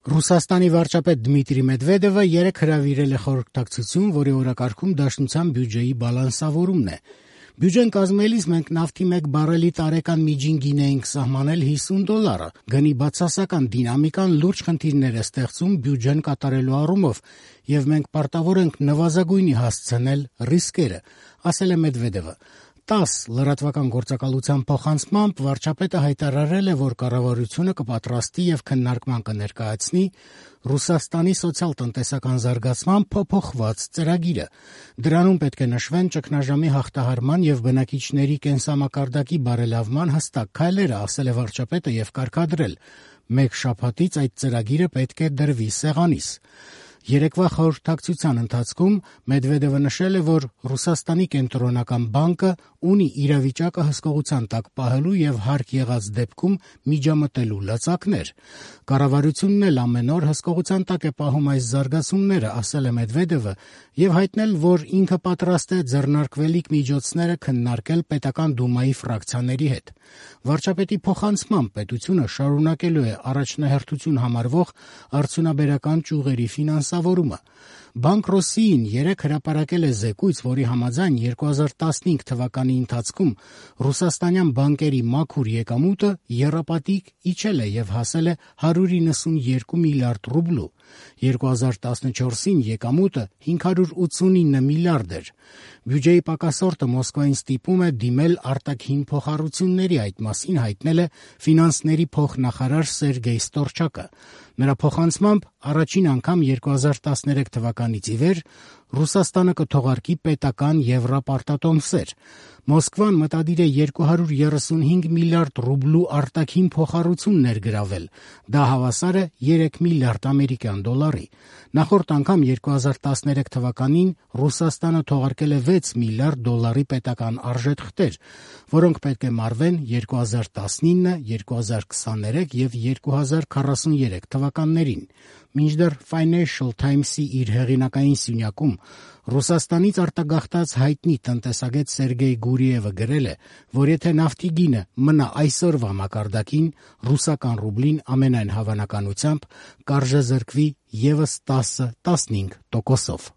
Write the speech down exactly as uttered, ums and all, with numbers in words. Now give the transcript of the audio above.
Ռուսաստանի վարչապետ Դմիտրի Մեդվեդևը երեկ հրավիրել է խորհրդակցություն, որի օրակարգում Դաշնության բյուջեի բալանսավորումն է։ Բյուջեն կազմելիս մենք նավթի մեկ բարելի տարեկան միջին գին էինք սահմանել հիսուն դոլարը։ Գնի բացասական դինամիկան լուրջ խնդիրներ է ստեղծում բյուջեն կատարելու առումով, եւ մենք պարտավոր ենք նվազագույնի հասցնել ռիսկերը, ասել է Մեդվեդևը։ տաս լրատվական գործակալության փոխանցմամբ վարչապետը հայտարարել է, որ կառավարությունը կպատրաստի եւ քննարկման կներկայացնի Ռուսաստանի սոցիալ-տնտեսական զարգացման փոփոխված ծրագիրը։ Դրանում պետք է նշվեն ճգնաժամի հաղթահարման եւ բնակիչների կենսամակարդակի բարելավման հստակ քայլերը, ասել է վարչապետը եւ կարգադրել. «Մեկ շաբաթից այդ ծրագիրը պետք է դրվի սեղանիս»։ Երեկվա խորհրդակցության ընթացքում Մեդվեդևը նշել է, որ Ռուսաստանի կենտրոնական բանկը ունի իրավիճակը հսկողության տակ պահելու եւ հարկ եղած դեպքում միջամտելու լծակներ։ Կառավարությունն էլ ամեն օր հսկողության տակ է պահում այս զարգացումները, ասել է Մեդվեդևը եւ հայտնել, որ ինքը պատրաստ է ձեռնարկվելիք միջոցները քննարկել պետական դումայի ֆրակցիաների հետ։ Վարչապետի փոխանցմամբ պետությունը շարունակելու է առաջնահերթություն համարվող արդյունաբերական ճյուղերի ֆինանսավորումը։ Բանկ Ռոսիին երեկ հրապարակել է զեկույց, որի համաձայն երկու հազար տասնհինգ թվականի ընթացքում ռուսաստանյան բանկերի մաքուր եկամուտը եռապատիկ իջել է եւ հասել է հարյուր իննսունյոթ միլիարդ ռուբլու։ երկու հազար տասնչորսին եկամուտը հինգ հարյուր ութսունինը միլիարդ էր։ Բյուջեի պակասորտը Մոսկվային ստիպում է դիմել արտաքին փոխառությունների, այդ մասին հայտնել է ֆինանսների փոխնախարար Սերգեյ Ստորչակը։ Նրա փոխանցմամբ առաջին անգամ երկու հազար տասներեք թվականից ի վեր Ռուսաստանը կթողարկի պետական եվրապարտատոմսեր։ Մոսկվան մտադիր է երկու հարյուր երեսունհինգ միլիարդ ռուբլու արտաքին փոխառություն ներգրավել։ Դա հավասար է երեք միլիարդ ամերիկյան դոլարի։ Նախորդ անգամ երկու հազար տասներեք թվականին Ռուսաստանը թողարկել է վեց միլիարդ դոլարի պետական արժեթղթեր, որոնք պետք է մարվեն երկու հազար տասնինը, երկու հազար քսաներեք եւ երկու հազար քառասուներեք թվականներին։ Մինչդեռ Financial Times-ի իր հեղինակային սյունյակում Ռուսաստանից արտագաղթած հայտնի տնտեսագետ Սերգեյ Գուրիևը գրել է, որ եթե նավթի գինը մնա այսօրվա մակարդակին, ռուսական ռուբլին ամենայն հավանականությամբ կարժեզրկվի եւս տասը տասնհինգ տոկոսով։